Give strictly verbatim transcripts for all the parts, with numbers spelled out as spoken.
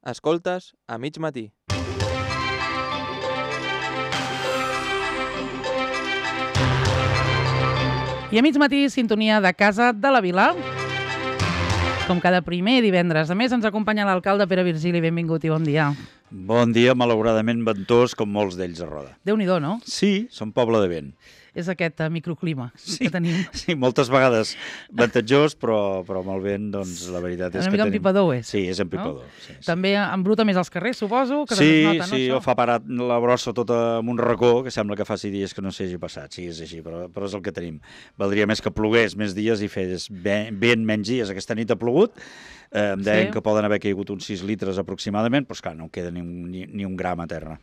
Escoltes a mig matí. I a mig matí, sintonia de Casa de la Vila. Com cada primer divendres. A més, ens acompanya l'alcalde Pere Virgili. Benvingut i bon dia. Bon dia, malauradament ventós, com molts d'ells a Roda. Déu-n'hi-do, no? Sí, som poble de vent. És aquest uh, microclima sí, que tenim. Sí, moltes vegades ventatjós, però, però amb el vent, doncs, la veritat és Una que mica tenim... empipador és. Sí, és empipador. No? Sí, sí. També embruta més els carrers, suposo, que sí, es nota, no, sí, això? o fa parar la brossa tota amb un racó, que sembla que faci dies que no s'hagi passat. Sí, és així, però, però és el que tenim. Valdria més que plogués més dies i fes vent menys dies. Aquesta nit ha plogut, eh, em deien sí. que poden haver caigut uns sis litres aproximadament, però esclar, no queda ni un, ni, ni un gram a terra.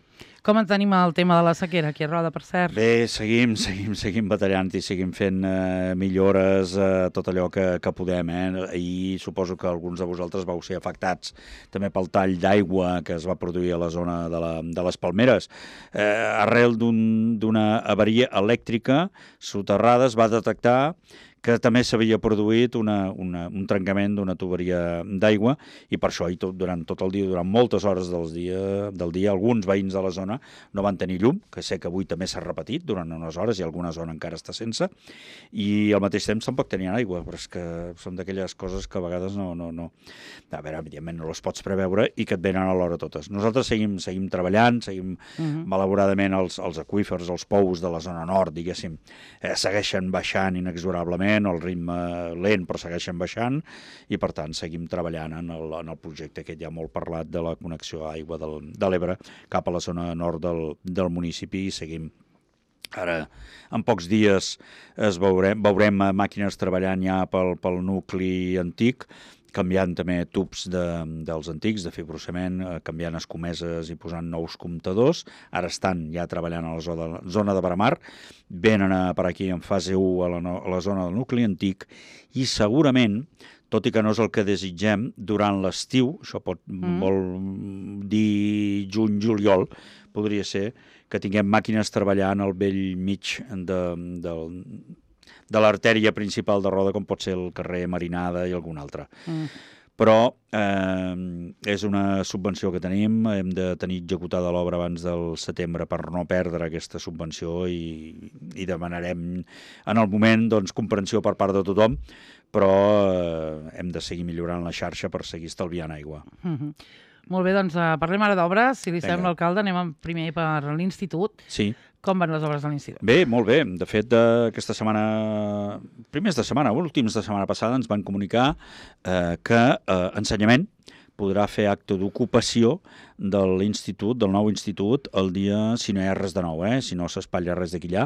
Com en tenim el tema de la sequera aquí a Roda, per cert? Bé, seguim, seguim, seguim batallant i seguim fent eh, millores, eh, tot allò que, que podem. Eh? Ahir suposo que alguns de vosaltres vau ser afectats també pel tall d'aigua que es va produir a la zona de, la, de les Palmeres. Eh, arrel d'una un, avaria elèctrica soterrada es va detectar que també s'havia produït una, una, un trencament d'una tuberia d'aigua i per això i tot, durant tot el dia, durant moltes hores del dia, del dia, alguns veïns de la zona no van tenir llum, que sé que avui també s'ha repetit durant unes hores i alguna zona encara està sense, i al mateix temps tampoc tenien aigua, però és que són d'aquelles coses que a vegades no... no, no a veure, evidentment no les pots preveure i que et venen a l'hora totes. Nosaltres seguim, seguim treballant, seguim uh-huh. malauradament els, els aqüífers, els pous de la zona nord, diguéssim, eh, segueixen baixant inexorablement, el ritme lent però segueixen baixant i per tant seguim treballant en el, en el projecte que ja molt parlat de la connexió a aigua del, de l'Ebre cap a la zona nord del, del municipi i seguim. Ara, en pocs dies es veurem, veurem màquines treballant ja pel, pel nucli antic, canviant també tubs de, dels antics, de fibrocement, eh, canviant escomeses i posant nous comptadors. Ara estan ja treballant a la zona, zona de Bramar, venen a, per aquí en fase u a la, a la zona del nucli antic i segurament, tot i que no és el que desitgem, durant l'estiu, això pot mm. vol dir juny-juliol, podria ser que tinguem màquines treballant al vell mig de, del... de l'artèria principal de Roda, com pot ser el carrer Marinada i algun altre. Mm. Però eh, és una subvenció que tenim, hem de tenir executada l'obra abans del setembre per no perdre aquesta subvenció i, i demanarem en el moment doncs, comprensió per part de tothom, però eh, hem de seguir millorant la xarxa per seguir estalviant aigua. Mm-hmm. Molt bé, doncs uh, parlem ara d'obres. Si li Vinga. sembla, alcalde, anem primer per l'institut. Sí. Com van les obres de l'institut? Bé, molt bé. De fet, eh, aquesta setmana, primers de setmana, últims de setmana passada, ens van comunicar eh, que eh, ensenyament podrà fer acte d'ocupació de l'institut, del nou institut, el dia, si no hi ha res de nou, eh, si no s'espatlla res d'aquí allà,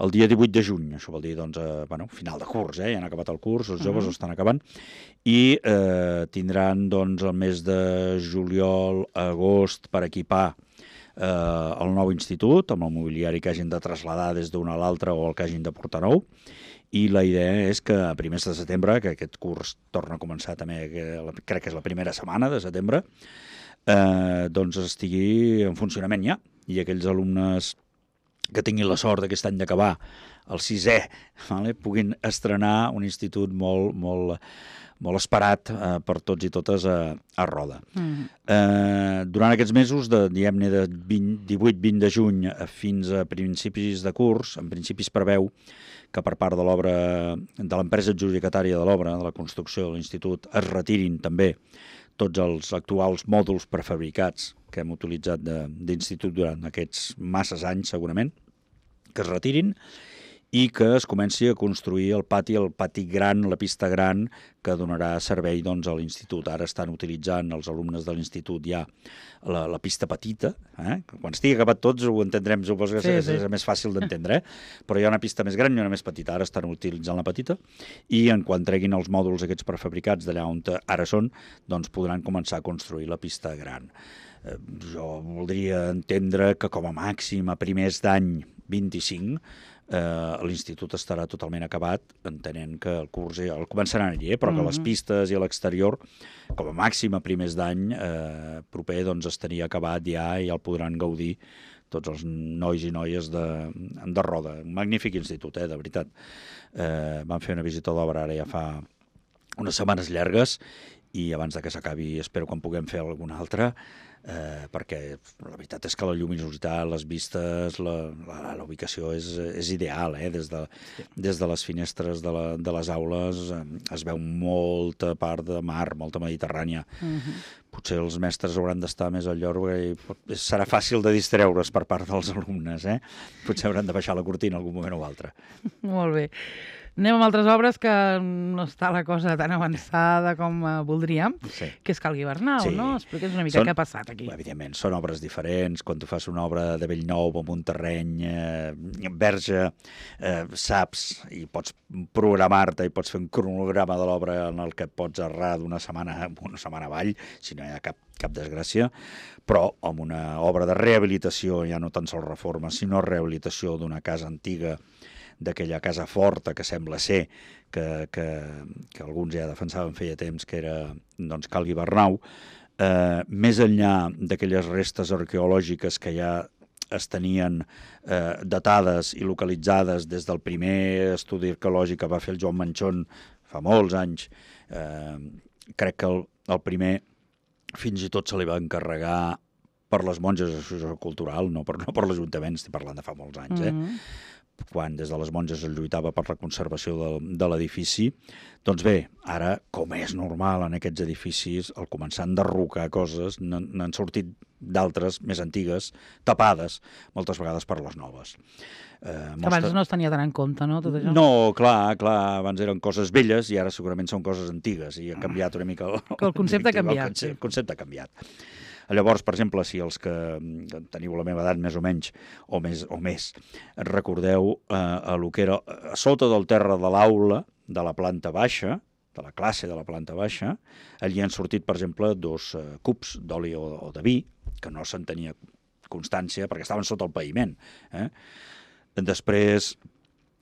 el dia divuit de juny. Això vol dir, doncs, eh, bueno, final de curs, eh, ja han acabat el curs, els joves uh-huh. ho estan acabant, i eh, tindran, doncs, el mes de juliol, agost, per equipar eh, el nou institut, amb el mobiliari que hagin de traslladar des d'una a l'altra o el que hagin de portar nou, i la idea és que a primers de setembre, que aquest curs torna a començar també, que crec que és la primera setmana de setembre, eh, doncs estigui en funcionament ja, i aquells alumnes que tinguin la sort aquest any d'acabar el sisè, vale, puguin estrenar un institut molt, molt, molt esperat eh, per tots i totes a, a Roda. Mm. Eh, durant aquests mesos, de, diguem-ne de divuit vint de juny fins a principis de curs, en principi es preveu que per part de l'obra, de l'empresa adjudicatària de l'obra, de la construcció de l'institut, es retirin també tots els actuals mòduls prefabricats que hem utilitzat d'institut durant aquests masses anys, segurament, que es retirin i que es comenci a construir el pati, el pati gran, la pista gran, que donarà servei doncs, a l'institut. Ara estan utilitzant els alumnes de l'institut ja la, la pista petita. Eh? Quan estigui acabat tots ho entendrem, suposo que sí, és, sí. és més fàcil d'entendre, eh? Però hi ha una pista més gran i una més petita. Ara estan utilitzant la petita i en quan treguin els mòduls aquests prefabricats d'allà on ara són, doncs podran començar a construir la pista gran. Eh, jo voldria entendre que com a màxim a primers d'any vint-i-cinc eh, l'institut estarà totalment acabat, entenent que el curs el començaran allí, eh, però que les pistes i l'exterior, com a màxim a primers d'any eh, proper, doncs estaria acabat ja i el podran gaudir tots els nois i noies de, de Roda. Un magnífic institut, eh, de veritat. Eh, vam fer una visita d'obra ara ja fa unes setmanes llargues i abans de que s'acabi espero quan puguem fer alguna altra, eh, perquè la veritat és que la lluminositat, les vistes, la, la, la ubicació és, és ideal, eh? Des de, des de les finestres de, la, de les aules eh, es veu molta part de mar, molta Mediterrània. Uh-huh. Potser els mestres hauran d'estar més al llor i serà fàcil de distreure's per part dels alumnes, eh? Potser hauran de baixar la cortina algun moment o altre. Molt bé. Anem amb altres obres que no està la cosa tan avançada com uh, voldríem, Sí. que és Cal Guibernau, Sí. no? Explica'ns una mica Són- què ha passat aquí. Evidentment, són obres diferents. Quan tu fas una obra de bell nou amb un terreny eh, verge, eh, saps i pots programar-te i pots fer un cronograma de l'obra en el que et pots errar d'una setmana una setmana avall, si no hi ha cap, cap desgràcia, però amb una obra de rehabilitació, ja no tan sols reforma, sinó rehabilitació d'una casa antiga, d'aquella casa forta que sembla ser que, que, que alguns ja defensaven feia temps que era doncs, Cal Guibernau, eh, més enllà d'aquelles restes arqueològiques que ja es tenien eh, datades i localitzades des del primer estudi arqueològic que va fer el Joan Manchón fa molts anys, eh, crec que el, el primer fins i tot se li va encarregar per les monges d'associació cultural, no per, no per l'Ajuntament, estic parlant de fa molts anys, eh? Mm-hmm. Quan des de les monges es lluitava per la conservació de, de l'edifici. Doncs bé, ara, com és normal en aquests edificis, al començar a enderrocar coses, n'han sortit d'altres més antigues, tapades, moltes vegades per les noves. Eh, Que abans no es tenia tant en compte, no, tot això? No, clar, clar, abans eren coses velles i ara segurament són coses antigues i ha canviat una mica el, Que el concepte ha canviat, El concepte, sí. el concepte ha canviat. Llavors, per exemple, si els que teniu la meva edat més o menys, o més, o més recordeu eh, a lo que era a sota del terra de l'aula de la planta baixa, de la classe de la planta baixa, allí han sortit, per exemple, dos eh, cubs d'oli o, o de vi, que no se'n tenia constància perquè estaven sota el paviment. Eh? Després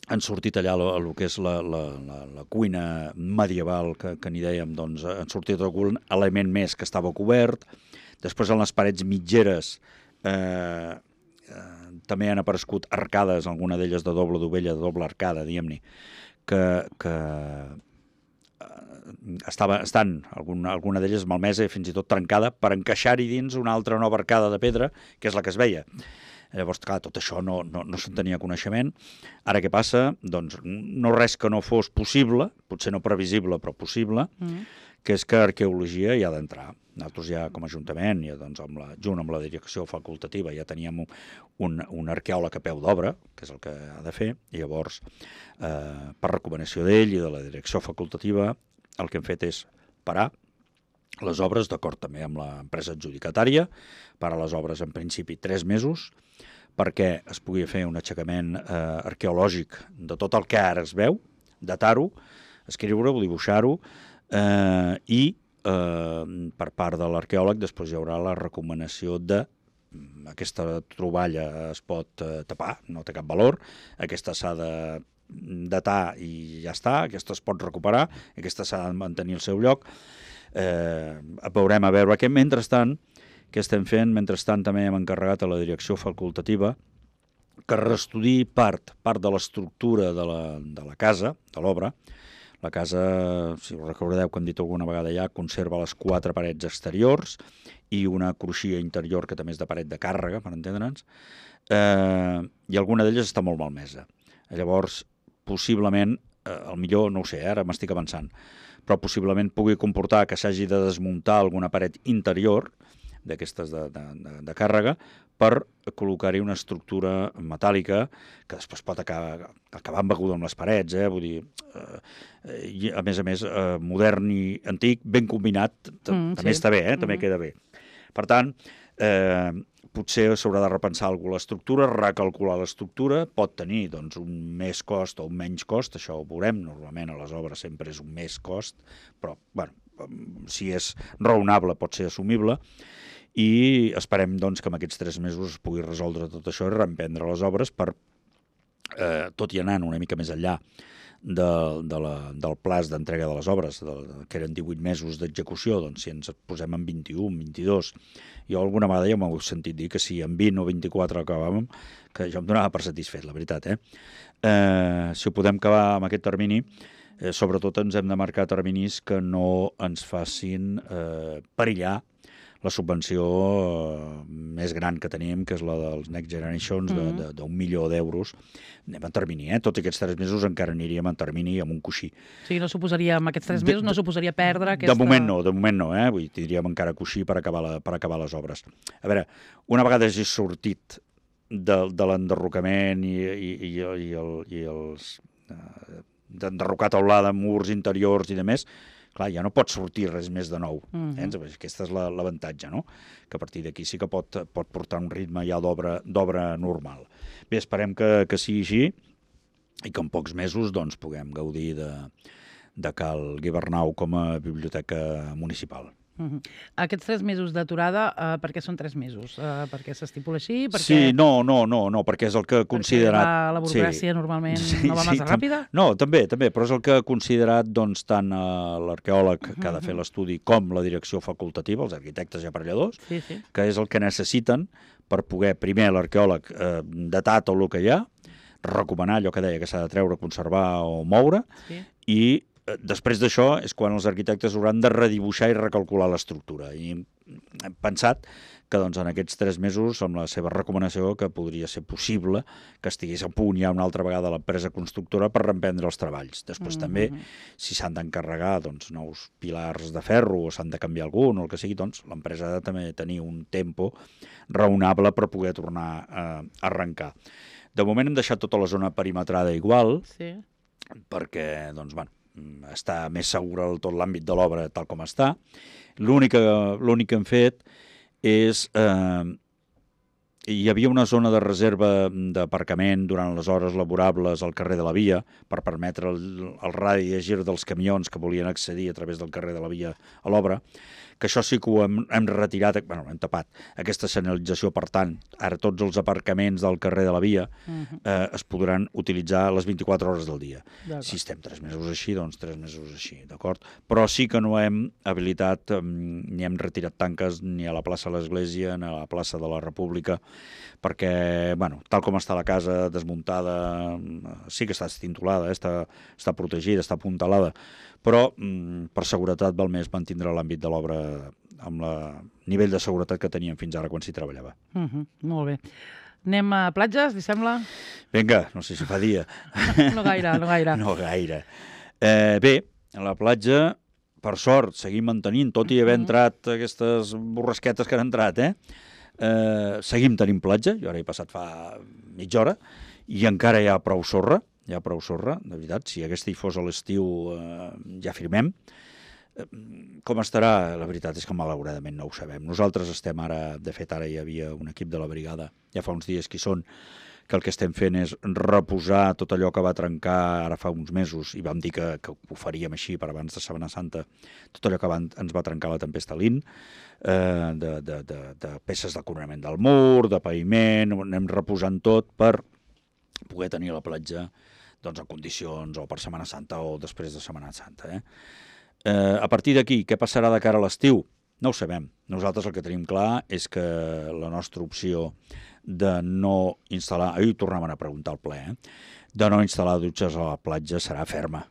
han sortit allà el que és la, la, la, la cuina medieval, que, que n'hi dèiem, doncs han sortit algun element més que estava cobert. Després, en les parets mitgeres, eh, eh, també han aparegut arcades, alguna d'elles de doble dovella, de doble arcada, diguem-ne, que, que eh, estava, estan, alguna, alguna d'elles malmesa i fins i tot trencada, per encaixar-hi dins una altra nova arcada de pedra, que és la que es veia. Llavors, clar, tot això no, no, no se'n tenia coneixement. Ara què passa? Doncs no res que no fos possible, potser no previsible, però possible, mm. que és que arqueologia hi ha d'entrar. Nosaltres ja, com a Ajuntament, ja, doncs, amb la, junt amb la direcció facultativa, ja teníem un, un arqueòleg a peu d'obra, que és el que ha de fer, i llavors, eh, per recomanació d'ell i de la direcció facultativa, el que hem fet és parar les obres, d'acord també amb l'empresa adjudicatària, parar les obres en principi tres mesos, perquè es pugui fer un aixecament eh, arqueològic de tot el que ara es veu, datar-ho, escriure-ho, dibuixar-ho, eh, i eh, per part de l'arqueòleg després hi haurà la recomanació de aquesta troballa es pot eh, tapar, no té cap valor, aquesta s'ha de datar i ja està, aquesta es pot recuperar, aquesta s'ha de mantenir al seu lloc. Eh, veurem a veure què. Mentrestant, què estem fent? Mentrestant també hem encarregat a la direcció facultativa que reestudi part, part de l'estructura de, la, de la casa, de l'obra. La casa, si us recordeu que hem dit alguna vegada ja, conserva les quatre parets exteriors i una cruixia interior que també és de paret de càrrega, per entendre'ns, eh, i alguna d'elles està molt malmesa. Llavors, possiblement, eh, el millor, no ho sé, ara m'estic avançant, però possiblement pugui comportar que s'hagi de desmuntar alguna paret interior d'aquestes de, de, de, de càrrega per col·locar-hi una estructura metàl·lica que després pot acabar, acabar embeguda amb les parets, eh? Vull dir, eh, i a més a més, eh, modern i antic, ben combinat, mm, també sí. Està bé, eh? També mm-hmm. queda bé. Per tant, eh, potser s'haurà de repensar alguna l'estructura, recalcular l'estructura, pot tenir doncs, un més cost o un menys cost, això ho veurem, normalment a les obres sempre és un més cost, però bueno, si és raonable pot ser assumible, i esperem doncs, que en aquests tres mesos es pugui resoldre tot això i reemprendre les obres per, eh, tot i anant una mica més enllà de, de la, del plaç d'entrega de les obres, de, que eren divuit mesos d'execució, doncs si ens posem en vint-i-un, vint-i-dos, jo alguna vegada ja m'ho he sentit dir que si en vint o vint-i-quatre acabàvem, que jo em donava per satisfet, la veritat, eh? Eh, si ho podem acabar amb aquest termini, Eh, sobretot ens hem de marcar terminis que no ens facin eh, perillar la subvenció eh, més gran que tenim, que és la dels Next Generations, Mm-hmm. d'un milió d'euros. Anem en termini, eh? Tot aquests tres mesos encara aniríem en termini amb un coixí. O sigui, no suposaria, amb aquests tres De- mesos, no suposaria perdre aquesta... De moment no, de moment no, eh? Vull dir, tindríem encara coixí per acabar, la, per acabar les obres. A veure, una vegada hagi sortit de, de l'enderrocament i, i, i, i, el, i els... Eh, d'enderrocar teulada, murs interiors i de més, clar, ja no pot sortir res més de nou. Mhm. Eh? Aquesta és la- l'avantatge, no? Que a partir d'aquí sí que pot, pot portar un ritme ja d'obra d'obra normal. Bé, esperem que, que sigui així i que en pocs mesos doncs, puguem gaudir de, de Cal Guibernau com a biblioteca municipal. Mhm. Aquests tres mesos d'aturada, uh, per què són tres mesos? Uh, perquè s'estipula així? Perquè... Sí, no, no, no, no, perquè és el que ha considerat... Perquè la, la burocràcia sí. normalment Sí, no va sí, massa tam- ràpida? No, també, també, però és el que ha considerat doncs, tant eh, l'arqueòleg que ha de fer Mhm. l'estudi com la direcció facultativa, els arquitectes i aparelladors, Sí, sí. que és el que necessiten per poder, primer, l'arqueòleg eh, datar tot el que hi ha, recomanar allò que deia que s'ha de treure, conservar o moure, sí. i eh, després d'això és quan els arquitectes hauran de redibuixar i recalcular l'estructura. I hem pensat que doncs, en aquests tres mesos, amb la seva recomanació, que podria ser possible que estigués a punt ja una altra vegada l'empresa constructora per reemprendre els treballs. Després Mhm. també, si s'han d'encarregar doncs, nous pilars de ferro o s'han de canviar algun o el que sigui, doncs l'empresa ha de també tenir un tempo raonable per poder tornar a arrencar. De moment hem deixat tota la zona perimetrada igual, Sí. perquè doncs, bueno, està més segur el, tot l'àmbit de l'obra tal com està. L'únic que, l'únic que hem fet és... Eh, hi havia una zona de reserva d'aparcament durant les hores laborables al carrer de la Via per permetre el, el radi de gir dels camions que volien accedir a través del carrer de la Via a l'obra, que això sí que ho hem, hem retirat, bueno, hem tapat aquesta senyalització, per tant, ara tots els aparcaments del carrer de la Via Mhm. eh, es podran utilitzar les vint-i-quatre hores del dia. D'acord. Si estem tres mesos així, doncs tres mesos així, d'acord? Però sí que no hem habilitat, eh, ni hem retirat tanques ni a la plaça de l'Església ni a la plaça de la República, perquè, bueno, tal com està la casa desmuntada, eh, sí que està estintolada, eh, està, està protegida, està apuntalada, però mm, per seguretat val més mantindre l'àmbit de l'obra amb el nivell de seguretat que teníem fins ara quan s'hi treballava. Mhm. Molt bé. Anem a platges, li sembla? Vinga, no sé si fa dia. No gaire, no gaire. No gaire. Eh, bé, a la platja, per sort, seguim mantenint, tot i haver Mhm. entrat aquestes borrasquetes que han entrat, eh? Eh, seguim tenint platja, jo ara he passat fa mitja hora, i encara hi ha prou sorra, hi ha prou sorra, de veritat, si aquesta hi fos a l'estiu eh, ja firmem. Eh, Com estarà? La veritat és que malauradament no ho sabem. Nosaltres estem ara, de fet ara hi havia un equip de la brigada, ja fa uns dies que hi són, que el que estem fent és reposar tot allò que va trencar ara fa uns mesos, i vam dir que, que ho faríem així per abans de Setmana Santa, tot allò que va, ens va trencar la tempesta Lin, eh, de, de, de, de peces de coronament del mur, de paviment, ho anem reposant tot per poder tenir la platja doncs, en condicions, o per Setmana Santa o després de Setmana Santa. Eh? Eh, a partir d'aquí, què passarà de cara a l'estiu? No ho sabem. Nosaltres el que tenim clar és que la nostra opció de no instal·lar... Ahir ho tornaven a preguntar al ple, eh? De no instal·lar dutxes a la platja serà ferma.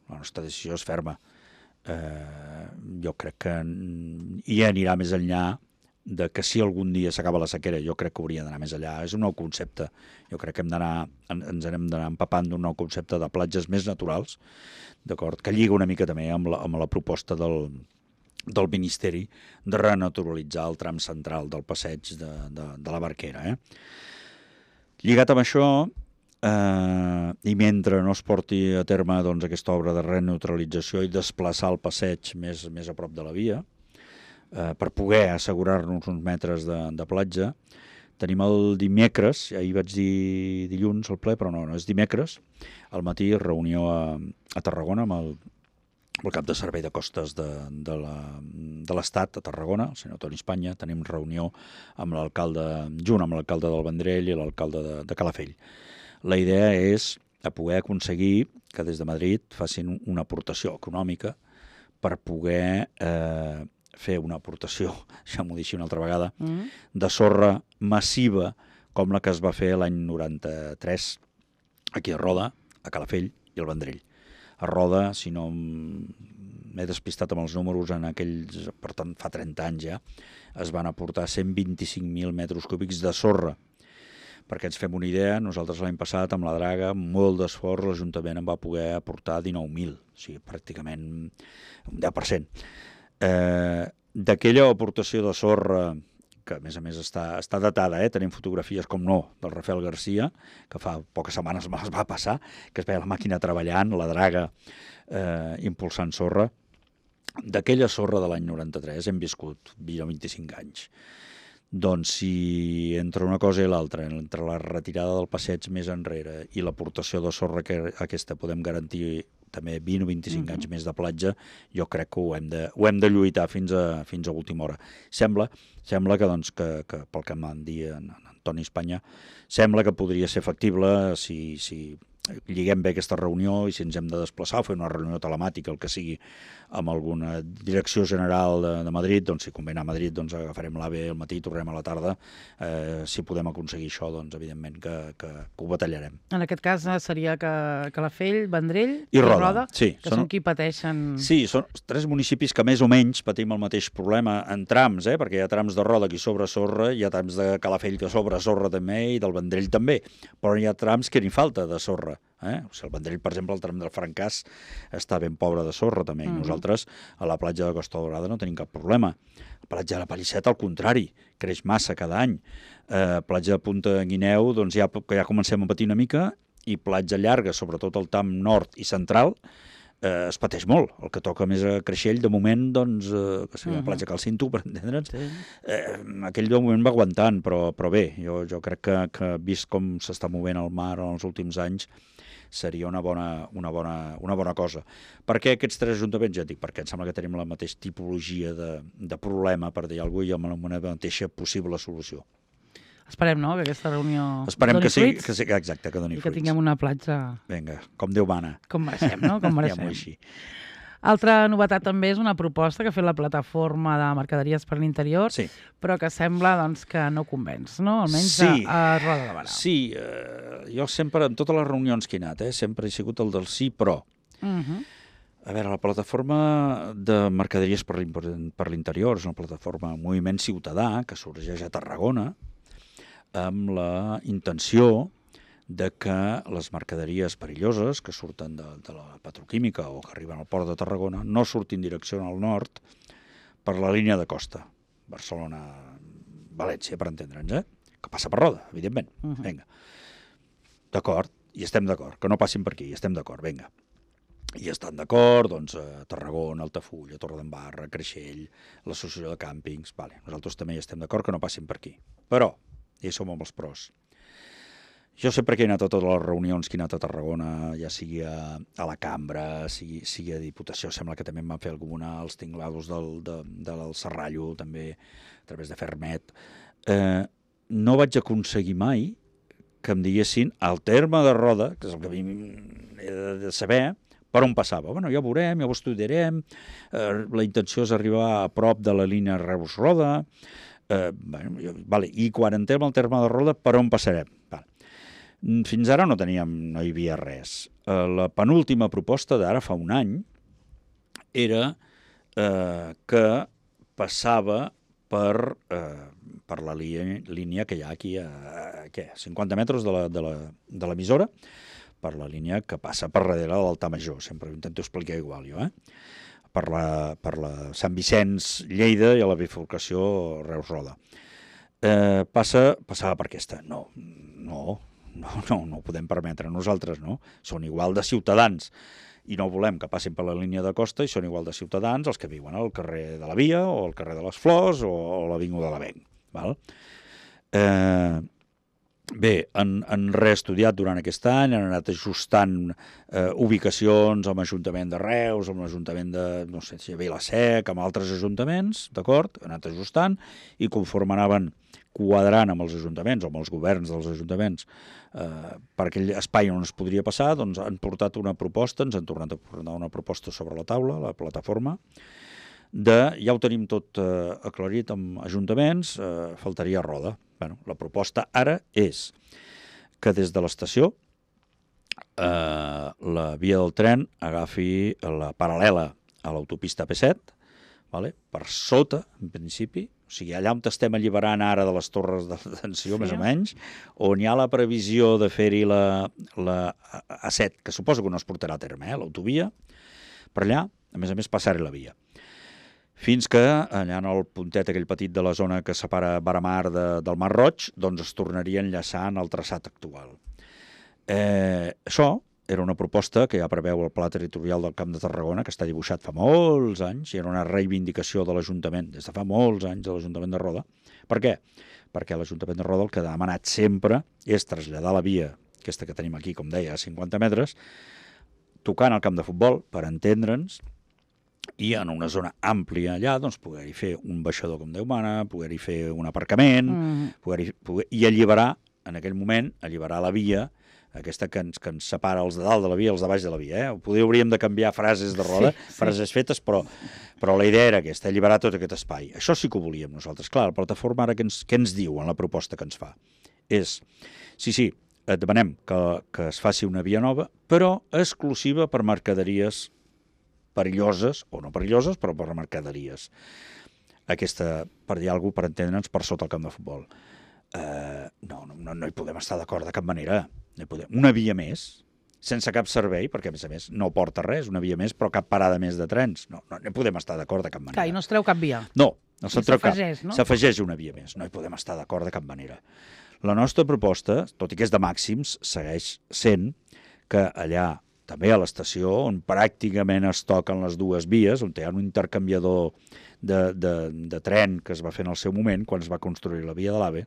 La nostra decisió és ferma. Eh, jo crec que hi anirà més enllà de que si algun dia s'acaba la sequera, jo crec que hauria d'anar més allà. És un nou concepte. Jo crec que hem d'anar, ens hem d'anar empapant d'un nou concepte de platges més naturals, d'acord, que lliga una mica també amb la, amb la proposta del, del Ministeri de renaturalitzar el tram central del passeig de, de, de la Barquera. Eh? Lligat amb això, eh, i mentre no es porti a terme doncs, aquesta obra de renaturalització i desplaçar el passeig més, més a prop de la via, eh, per poder assegurar-nos uns metres de, de platja, tenim el dimecres, ahir vaig dir dilluns al ple, però no, no és dimecres, al matí reunió a, a Tarragona amb el, el cap de servei de costes de, de l'Estat a Tarragona, el senyor Toni Espanya. Tenim reunió amb l'alcalde, junt amb l'alcalde del Vendrell i l'alcalde de, de Calafell. La idea és a poder aconseguir que des de Madrid facin una aportació econòmica per poder eh, fer una aportació, deixem-ho dir així una altra vegada, Mm. de sorra massiva com la que es va fer l'any noranta-tres aquí a Roda, a Calafell i al Vendrell. a Roda, si no m'he despistat amb els números, en aquells, per tant, fa trenta anys ja, es van aportar cent vint-i-cinc mil metres cúbics de sorra. Perquè ens fem una idea, nosaltres l'any passat amb la draga, amb molt d'esforç, l'Ajuntament en va poder aportar dinou mil, o sigui, pràcticament un deu per cent. Eh, D'aquella aportació de sorra, que a més a més està, està datada, eh? Tenim fotografies, com no, del Rafael Garcia, que fa poques setmanes me les va passar, que es veia la màquina treballant, la draga eh, impulsant sorra. D'aquella sorra de l'any noranta-tres hem viscut vint o vint-i-cinc anys. Doncs si entre una cosa i l'altra, entre la retirada del passeig més enrere i l'aportació de sorra que aquesta podem garantir també vint o vint-i-cinc mm-hmm. anys més de platja, jo crec que ho hem de, ho hem de lluitar fins a, fins a última hora. Sembla, sembla que, doncs, que, que pel que em van dir en, en Antoni Espanya, sembla que podria ser factible si, si lliguem bé aquesta reunió i si ens hem de desplaçar o fer una reunió telemàtica, el que sigui, amb alguna direcció general de, de Madrid, doncs si convé anar a Madrid, doncs agafarem l'AVE al matí, tornem a la tarda. Eh, si podem aconseguir això, doncs evidentment que, que, que ho batallarem. En aquest cas seria que Calafell, Vendrell i, i Roda, Roda sí, que són, són qui pateixen... Sí, són tres municipis que més o menys patim el mateix problema en trams, eh? Perquè hi ha trams de Roda que sobre sorra, hi ha trams de Calafell que sobre sorra també i del Vendrell també, però hi ha trams que ni falta de sorra. Eh? O sigui, el Vendrell, per exemple, el tram del Francàs està ben pobre de sorra també, i mm-hmm. nosaltres a la platja de Costa Daurada no tenim cap problema. La platja de la Palisseta, al contrari, creix massa cada any. Eh, platja de Punta Guineu, doncs ja, ja comencem a patir una mica, i platja llarga, sobretot el tram nord i central, eh, es pateix molt. El que toca més a Creixell, de moment, doncs, eh, que seria la platja Cal Cinto, per entendre'ns, sí. eh, aquell de moment va aguantant, però, però bé, jo, jo crec que, que vist com s'està movent el mar en els últims anys, seria una bona, una, bona, una bona cosa. Per què aquests tres ajuntaments? Ja dic, perquè em sembla que tenim la mateixa tipologia de, de problema, per dir alguna cosa, i amb una mateixa possible solució. Esperem, no?, que aquesta reunió Esperem doni que sí, fruits. que sí, exacte, que doni I que fruits. tinguem una platja... Vinga, com Déu mana. Com mereixem, no? Com mereixem. Diguem-ho així. Altra novetat també és una proposta que ha fet la plataforma de mercaderies per l'interior, sí. però que sembla doncs, que no convenç, no? Almenys sí. a, a Roda de Barà. Sí, eh, jo sempre, en totes les reunions que he anat, eh, sempre he sigut el del sí, però... Uh-huh. A veure, la plataforma de mercaderies per l'interior és una plataforma moviment ciutadà que sorgeix a Tarragona amb la intenció de que les mercaderies perilloses que surten de, de la petroquímica o que arriben al port de Tarragona no surtin en direcció al nord per la línia de costa, Barcelona-València, per entendre'ns, eh? Que passa per Roda, evidentment. Uh-huh. Vinga. D'acord, i estem d'acord, que no passin per aquí, i estem d'acord, vinga. I estan d'acord, doncs, a Tarragona, Altafulla, Torredembarra, Creixell, l'Associació de Càmpings, vale, nosaltres també hi estem d'acord que no passin per aquí. Però, ja som amb els pros. Jo sempre que he anat a totes les reunions que he anat a Tarragona, ja sigui a, a la Cambra, sigui, sigui a Diputació, sembla que també em van fer alguna, als tinglados del, de, del Serrallo, també, a través de Fermet, eh, no vaig aconseguir mai que em diguessin al terme de Roda, que és el que a mi he de saber, per on passava. Bueno, ja ho veurem, ja ho estudiarem, eh, la intenció és arribar a prop de la línia Reus-Roda, eh, bueno, jo, vale, i quan entrem al terme de Roda, per on passarem? Vale. Fins ara no teníem, no hi havia res. Eh, la penúltima proposta d'ara fa un any era eh, que passava per, eh, per la línia, línia que hi ha aquí a, a què, cinquanta metres de l'emissora, per la línia que passa per darrere de l'Altar Major. Sempre ho intento explicar igual jo, eh? Per la, per la Sant Vicenç, Lleida i a la bifurcació Reus-Roda. Eh, passa, passava per aquesta. No, no, no, no, no ho podem permetre nosaltres, no? Són igual de ciutadans i no volem que passin per la línia de costa i són igual de ciutadans els que viuen al carrer de la Via o al carrer de les Flors o a l'Avinguda de l'Avenc. Val? Eh, bé, han, han reestudiat durant aquest any, han anat ajustant eh, ubicacions amb l'Ajuntament de Reus, amb l'Ajuntament de, no sé si Vilasec, amb altres ajuntaments, d'acord? Han anat ajustant i conforme anaven quadrant amb els ajuntaments o amb els governs dels ajuntaments eh, per aquell espai on es podria passar, doncs han portat una proposta, ens han tornat a portar una proposta sobre la taula, la plataforma, de, ja ho tenim tot eh, aclarit amb ajuntaments, eh, faltaria Roda. Bueno, la proposta ara és que des de l'estació eh, la via del tren agafi la paral·lela a l'autopista A P set, vale? Per sota, en principi, o sigui, allà on estem alliberant ara de les torres de detenció, sí. més o menys, on hi ha la previsió de fer-hi la, la A set, que suposo que no es portarà a terme, eh, l'autovia, per allà, a més a més, passar-hi la via. Fins que, allà en el puntet aquell petit de la zona que separa Baramar de, del Mar Roig, doncs es tornaria a enllaçar en el traçat actual. Eh, això era una proposta que ja preveu el Pla Territorial del Camp de Tarragona, que està dibuixat fa molts anys, i era una reivindicació de l'Ajuntament, des de fa molts anys de l'Ajuntament de Roda. Per què? Perquè l'Ajuntament de Roda el que ha demanat sempre és traslladar la via, aquesta que tenim aquí, com deia, a cinquanta metres, tocant el camp de futbol, per entendre'ns, i en una zona àmplia allà, doncs, poder-hi fer un baixador com Déu mana, poder-hi fer un aparcament, mm. poder-hi, poder, i alliberar, en aquell moment, alliberar la via, aquesta que ens, que ens separa els de dalt de la via i els de baix de la via. Eh? Poder hauríem de canviar frases de Roda, sí, sí. frases fetes, però, però la idea era aquesta, alliberar tot aquest espai. Això sí que ho volíem nosaltres. Clar, la plataforma ara què ens, què ens diu en la proposta que ens fa? És, sí, sí, et demanem que, que es faci una via nova, però exclusiva per mercaderies perilloses, o no perilloses, però per mercaderies. Aquesta, per dir alguna cosa, per entendre'ns, per sota el camp de futbol. Uh, no, no, no hi podem estar d'acord de cap manera. No podem. Una via més, sense cap servei, perquè a més a més no porta res, una via més, però cap parada més de trens. No, no, no hi podem estar d'acord de cap manera. Clar, i no es treu cap via. No, no se'n treu cap. No? S'afegeix una via més, no hi podem estar d'acord de cap manera. La nostra proposta, tot i que és de màxims, segueix sent que allà, també a l'estació, on pràcticament es toquen les dues vies, on hi ha un intercanviador de, de, de tren que es va fer en el seu moment, quan es va construir la via de l'AVE,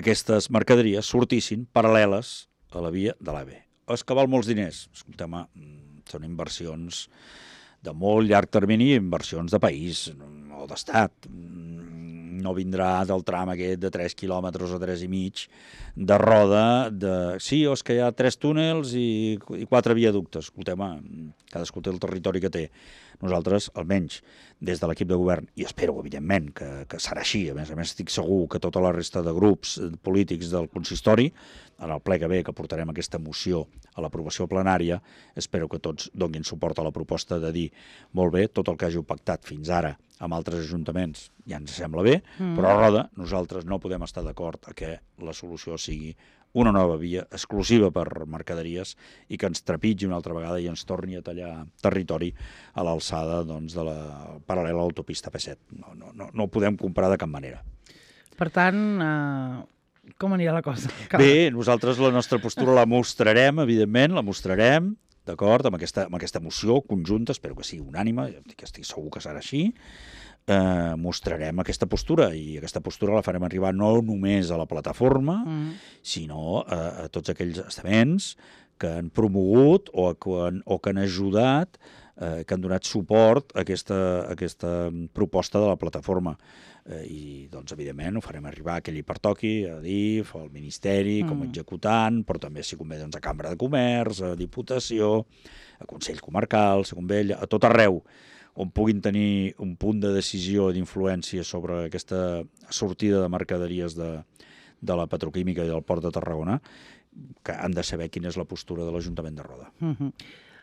aquestes mercaderies sortissin paral·leles a la via de l'AVE. És que val molts diners. Escolteu, són inversions de molt llarg termini, inversions de país o d'estat. No vindrà del tram aquest de tres quilòmetres o tres i mig de Roda, de... sí, o és que hi ha tres túnels i, i quatre viaductes. Escolteu, cadascú té el territori que té. Nosaltres, almenys, des de l'equip de govern, i espero, evidentment, que, que serà així, a més a més estic segur que tota la resta de grups polítics del consistori, en el ple que ve, que portarem aquesta moció a l'aprovació plenària, espero que tots donin suport a la proposta de dir, molt bé, tot el que hàgiu pactat fins ara amb altres ajuntaments ja ens sembla bé, mm. però a Roda nosaltres no podem estar d'acord a que la solució sigui una nova via exclusiva per mercaderies i que ens trepitgi una altra vegada i ens torni a tallar territori a l'alçada doncs, de la paral·lela a l'autopista A P set. No, no, no, no ho podem comprar de cap manera. Per tant, eh, com anirà la cosa? Bé, nosaltres la nostra postura la mostrarem, evidentment, la mostrarem, d'acord, amb aquesta, amb aquesta moció conjunta, espero que sigui unànime, que estic segur que serà així, eh, mostrarem aquesta postura i aquesta postura la farem arribar no només a la plataforma, mm. sinó a, a tots aquells estaments que han promogut o que han, o que han ajudat, eh, que han donat suport a aquesta, a aquesta proposta de la plataforma. Eh, I, doncs, evidentment, ho farem arribar a qui li pertoqui, a D I F, al Ministeri, mm. com a executant, però també, si convé, doncs, a Cambra de Comerç, a Diputació, a Consell Comarcal, si convé, a tot arreu, on puguin tenir un punt de decisió i d'influència sobre aquesta sortida de mercaderies de, de la petroquímica i del Port de Tarragona, que han de saber quina és la postura de l'Ajuntament de Roda. Uh-huh.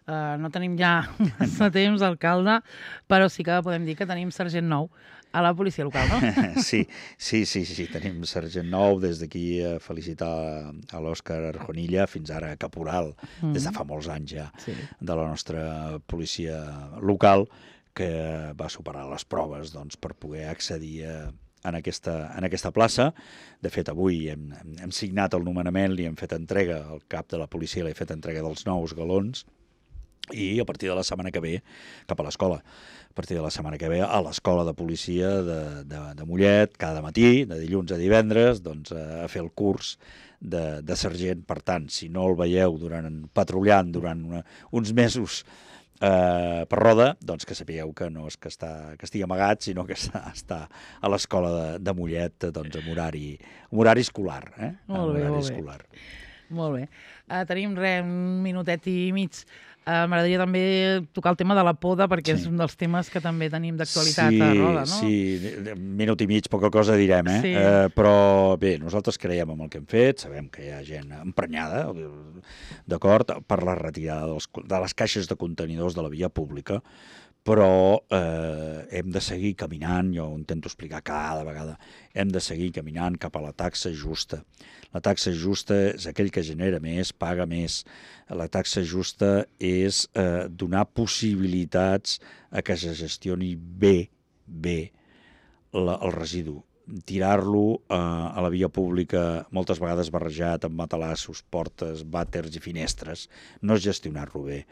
uh, no tenim ja massa temps, alcalde, però sí que podem dir que tenim sergent nou a la policia local, no? Sí, sí, sí, sí, tenim sergent nou, des d'aquí a felicitar a l'Òscar Arjonilla, fins ara caporal, mm. des de fa molts anys ja, sí. de la nostra policia local, que va superar les proves doncs, per poder accedir a, en, aquesta, en aquesta plaça. De fet, avui hem, hem signat el nomenament, li hem fet entrega, al cap de la policia li he fet entrega dels nous galons, i a partir de la setmana que ve cap a l'escola. A partir de la setmana que ve a l'escola de policia de, de, de Mollet, cada matí, de dilluns a divendres, doncs, a fer el curs de, de sergent. Per tant, si no el veieu durant, patrullant durant una, uns mesos eh, per Roda, doncs que sapigueu que no és que, està, que estigui amagat, sinó que està, està a l'escola de, de Mollet, doncs, amb horari, amb horari escolar. Eh? Molt bé, horari molt escolar. bé. Molt bé. Uh, tenim re, un minutet i mig. Uh, M'agradaria també tocar el tema de la poda, perquè Sí. és un dels temes que també tenim d'actualitat sí, a Roda, no? Sí, minut i mig, poca cosa direm, eh? Sí. eh? Però bé, nosaltres creiem en el que hem fet, sabem que hi ha gent emprenyada, d'acord, per la retirada dels, de les caixes de contenidors de la via pública, però eh, hem de seguir caminant, jo ho intento explicar cada vegada, hem de seguir caminant cap a la taxa justa. La taxa justa és aquell que genera més, paga més. La taxa justa és eh, donar possibilitats a que se gestioni bé, bé la, el residu. Tirar-lo eh, a la via pública moltes vegades barrejat amb matalassos, portes, vàters i finestres, no és gestionar-lo bé.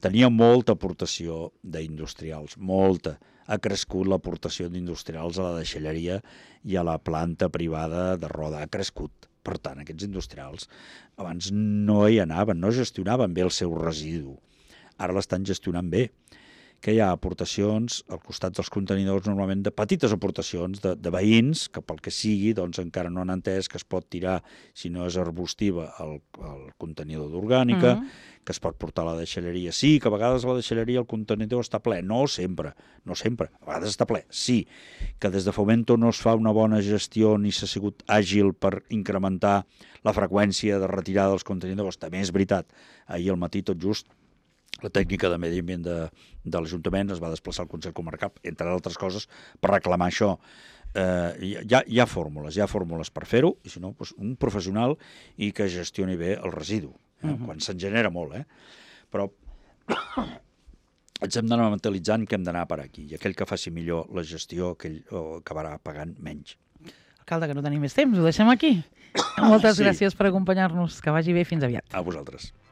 Tenia molta aportació d'industrials, molta. Ha crescut l'aportació d'industrials a la deixalleria i a la planta privada de Roda, ha crescut. Per tant, aquests industrials abans no hi anaven, no gestionaven bé el seu residu. Ara l'estan gestionant bé. Que hi ha aportacions al costat dels contenidors, normalment de petites aportacions de, de veïns, que pel que sigui doncs encara no han entès que es pot tirar, si no és arbustiva, el, el contenidor d'orgànica, mm -hmm. que es pot portar a la deixalleria. Sí, que a vegades a la deixalleria el contenidor està ple. No sempre, no sempre. A vegades està ple, sí. Que des de Fomento no es fa una bona gestió ni s'ha sigut àgil per incrementar la freqüència de retirada dels contenidors. També és veritat. Ahir al matí, tot just, la tècnica de medi ambient de, de l'Ajuntament es va desplaçar al Consell Comarcal, entre altres coses, per reclamar això. Eh, hi, ha, hi ha fórmules, hi ha fórmules per fer-ho, i si no, doncs un professional i que gestioni bé el residu, eh? Uh-huh. Quan se'n genera molt, eh? Però ens hem d'anar mentalitzant que hem d'anar per aquí, i aquell que faci millor la gestió, aquell acabarà pagant menys. Alcalde, que no tenim més temps, ho deixem aquí. Moltes Sí. gràcies per acompanyar-nos, que vagi bé, fins aviat. A vosaltres.